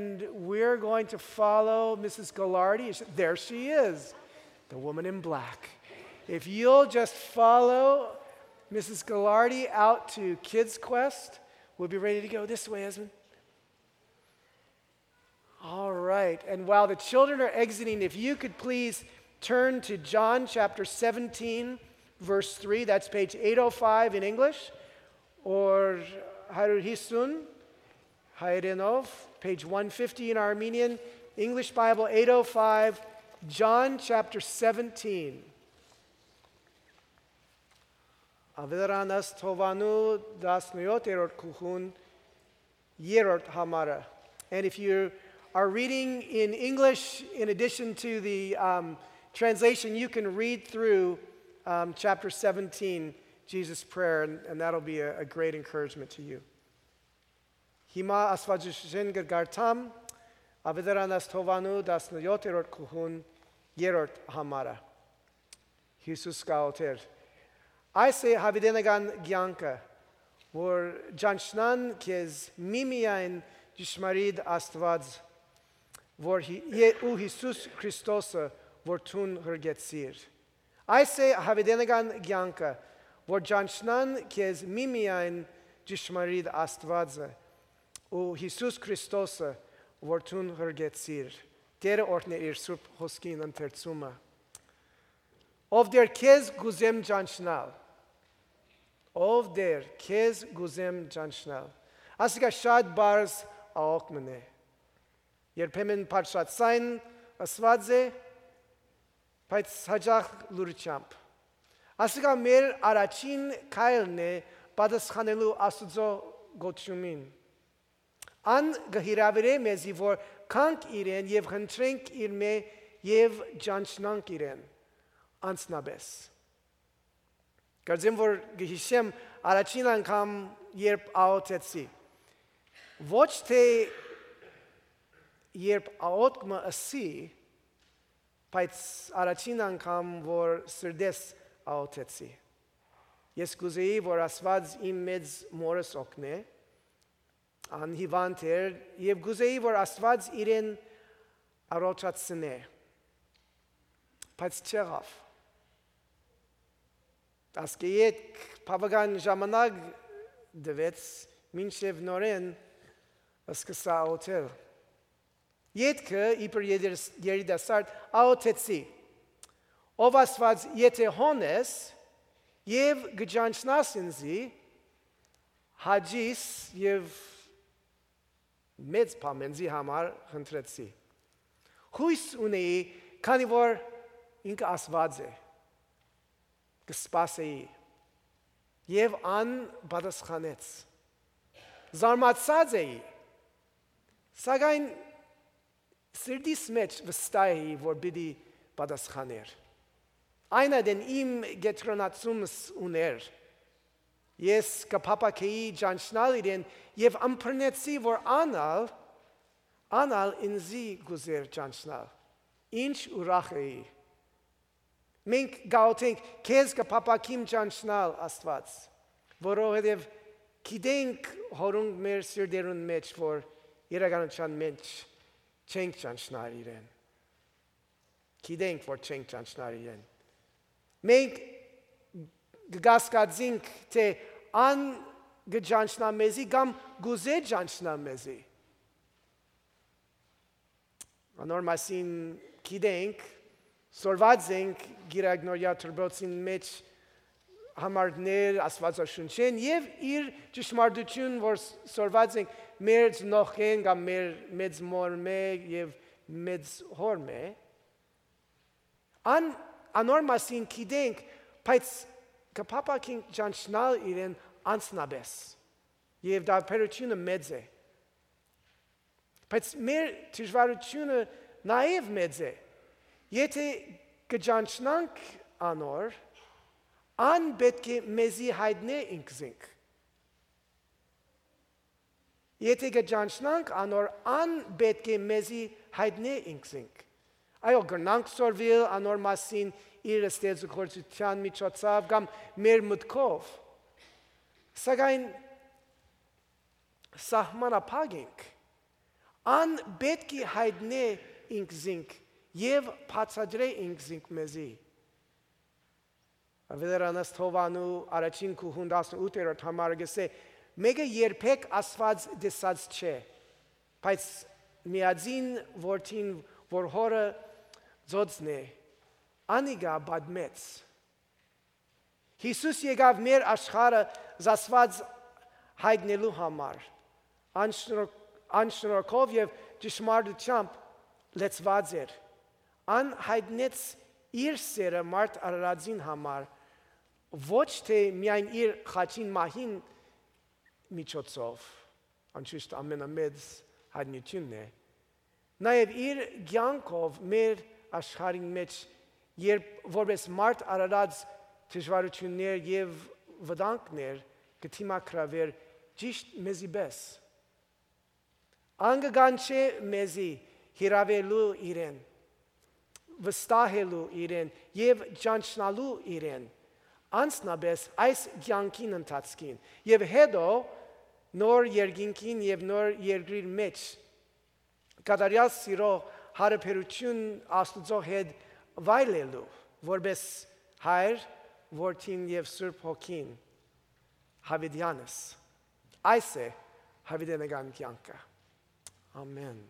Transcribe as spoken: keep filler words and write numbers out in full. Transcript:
And we're going to follow Missus Gallardi. There she is, the woman in black. If you'll just follow Missus Gallardi out to Kids Quest, we'll be ready to go. This way, Esmond. All right. And while the children are exiting, if you could please turn to John chapter seventeen, verse three. That's page eight oh five in English, or Harur Hisun, Hayrenov, page one fifty in Armenian, English Bible eight oh five, John chapter seventeen. Averան Աստովանու տասնյոթերորդ գլխուն երրորդ համարը. And if you are reading in English, in addition to the um, translation, you can read through um, chapter seventeen, Jesus' prayer, and, and that'll be a, a great encouragement to you. Հիմա Աստուածաշունչէն կը կարդամ Աւետարանաց Թովանու տասնյոթերորդ գլխուն երրորդ համարը։ Յիսուս կ'աղօթէր. «Այս է յաւիտենական կեանքը, որ ճանչնան քեզ միմիայն ճշմարիտ Աստուած, որ Հի-, Ե-, ու Յիսուս Քրիստոսը, որ դուն յրկեցիր։ Այս է յաւիտենական կեանքը, որ ճանչնան քեզ միմիայն ճշմարիտ Աստուածը ու Յիսուս Քրիստոսը, որ դուն յրկեցիր»։ Տէրը օրհնէ իր սուրբ խօսքին ընթերցումը։ Ով Տէր, քեզ կ'ուզեմ ճանչնալ։ Ով Տէր, քեզ կ'ուզեմ ճանչնալ։ Ասիկա շատ պարզ աղօթք մըն է։ Երբեմն բարձրաձայն ըսուած է, բայց յաճախ լուրջամբ։ Ասիկա մեր առաջին քայլն է պատասխանելու Աստուծոյ կոչումին։ Ան կը հրաւիրէ մեզի, որ գանք իրեն եւ խնդրենք իրմէ եւ ճանչնանք իրեն անձնապէս։ Կարծեմ, որ կը յիշեմ, առաջին անգամ, երբ աղօթեցի, ոչ թէ երբ աղօթք մը ըսի, բայց առաջին անգամ, որ սրտէս աղօթեցի։ Ես կ'ուզէի, որ Աստուած իմ մեծ մօրս օգնէ, ան հիւանդ էր, եւ կ'ուզէի, որ Աստուած իրեն առողջացնէ, բայց չեղաւ։ Ասկէ ետք բաւական ժամանակ տուեց, մինչեւ նորէն սկսայ աղօթել։ Ետքը, իբր երիտաս-, երիտասարդ, աղօթեցի. «Ով Աստուած, եթէ հոն ես եւ կը ճանչնաս ինծի, հաճիս եւ մեծ բան ինծի համար խնդրեցի»։ Յոյս ունէի, քանի որ ինքը Աստուած է, կը սպասէի, եւ ան պատասխանեց։ Զարմացած էի, սակայն սրտիս մէջ վստահ էի, որ պիտի պատասխանէր։ Այն ատեն իմ կեդրոնացումս ունէր։ Ես կը փափաքէի ճանչնալ իրեն եւ ըմբռնեցի, որ ան ալ, ան ալ ինծի կ'ուզէր ճանչնալ։ Ինչ ուրախ էի։ Մենք կ'աղօթենք. «Քեզ կը փափաքիմ ճանչնալ, Աստուած, որովհետեւ գիտենք, հորունկ մեր սիրտերուն մէջ, որ իրականության մէջ չենք ճանչնար իրեն։ Գիտենք, որ չենք ճանչնար իրեն։ Մենք կը կասկածենք, թէ ան կը ճանչնայ մեզի կամ կ'ուզէ ճանչնալ մեզի»։ Անոր մասին գիտենք, սորված ենք Կիրակնօրեայ դպրոցին մէջ համարներ Աստուածաշունչէն եւ իր ճշմարտություն, որ ս-, սորված ենք մեր ծնողքէն կամ մեր մեծ մօրմէ եւ մեծ հօրմէ։ Ան, անոր մասին գիտենք, բայց կը փափաքենք ճանչնալ իրեն անձնապէս։ Եւ տարբերությունը մեծ է։ Բայց մեր դժվարությունը նաեւ մեծ է։ Եթէ կը ճանչնանք անոր, ան պէտք է մեզի յայտնէ ինքզինք։ Եթէ կը ճանչնանք անոր, ան պէտք է մեզի յայտնէ ինքզինք։ Այո, կրնանք սորվիլ անոր մասին իր ստեղծագործութեան միջոցով կամ մեր մտքով, սակայն սահմանափակ ենք։ Ան պէտք է յայտնէ ինքզինք եւ բացատրէ ինքզինք մեզի։ Աւետարանս Թովանու առաջին գլխուն տասնութերորդ համարը կ'ըսէ. «Մէկը երբեք Աստուած տեսած չէ, բայց միածին Որդին, որ Հօրը ծոցն է, անիկա պատմեց»։ Յիսուս եկաւ մեր աշխարհը Աստուած յայտնելու համար։ Անշնորհ-, անշնորհքով եւ ճշմարտությամբ լեցուած էր։ Ան յայտնեց իր սերը մարդ արարածին համար, ոչ թէ միայն իր խաչին մահին միջոցով, անշուշտ ամենամեծ յայտնութիւնն է, նաեւ իր կեանքով մեր աշխարհին մէջ, երբ որպես մարդ արարած դժուարութիւններ եւ վտանգներ կը դիմագրաւէր ճիշդ մեզի պէս։ Ան կը կանչէ մեզի հիրաւելու իրեն, վստահելու իրեն եւ ճանչնալու իրեն, անձնապէս այս կեանքին ընթացքին եւ հետո նոր երկինքին եւ նոր երկրին մէջ կատարեալ սիրո հարաբերութիւն Աստուծոյ հետ վայելելու, որպես Հայր, Որդին եւ Սուրբ Հոգին յաւիտեանս։ Այս է յաւիտենական կեանքը։ Ամեն։